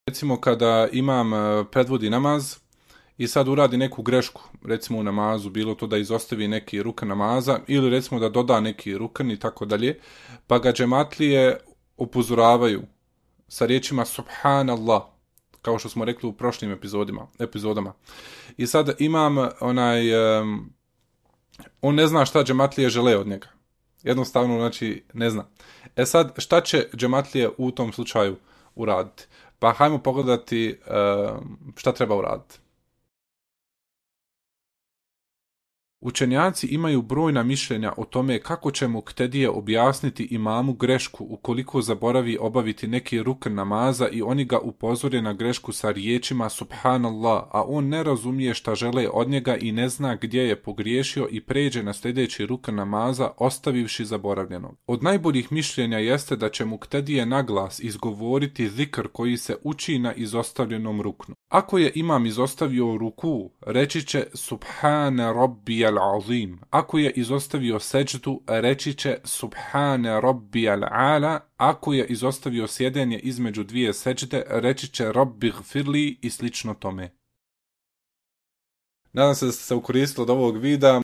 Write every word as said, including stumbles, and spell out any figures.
Recimo kada imam e, predvodi namaz i sad uradi neku grešku, recimo u namazu, bilo to da izostavi neki rukan namaza ili recimo da doda neki rukan i tako dalje, pa ga džematlije upozoravaju sa riječima Subhanallah, kao što smo rekli u prošlim epizodima, epizodama. I sad imam onaj, um, on ne zna šta džematlije žele od njega. Jednostavno, znači, ne zna. E sad, šta će džematlije u tom slučaju uraditi? Pa hajmo pogledati um, šta treba uraditi. Učenjaci imaju brojna mišljenja o tome kako će muktedije objasniti imamu grešku ukoliko zaboravi obaviti neki rukn namaza i oni ga upozore na grešku sa riječima Subhanallah, a on ne razumije šta žele od njega i ne zna gdje je pogriješio i pređe na sljedeći rukn namaza ostavivši zaboravljenog. Od najboljih mišljenja jeste da će muktedije naglas izgovoriti zikr koji se uči na izostavljenom ruknu. Ako je imam izostavio ruku, reći će Subhane Rabbi al-Azim. Ako je izostavio seđdu, reći će Subhane Rabbi al-Ala. Ako je izostavio sjedenje između dvije seđde, reći će Rabbi gfirli i slično tome. Nadam se da ste se ukoristili od ovog videa.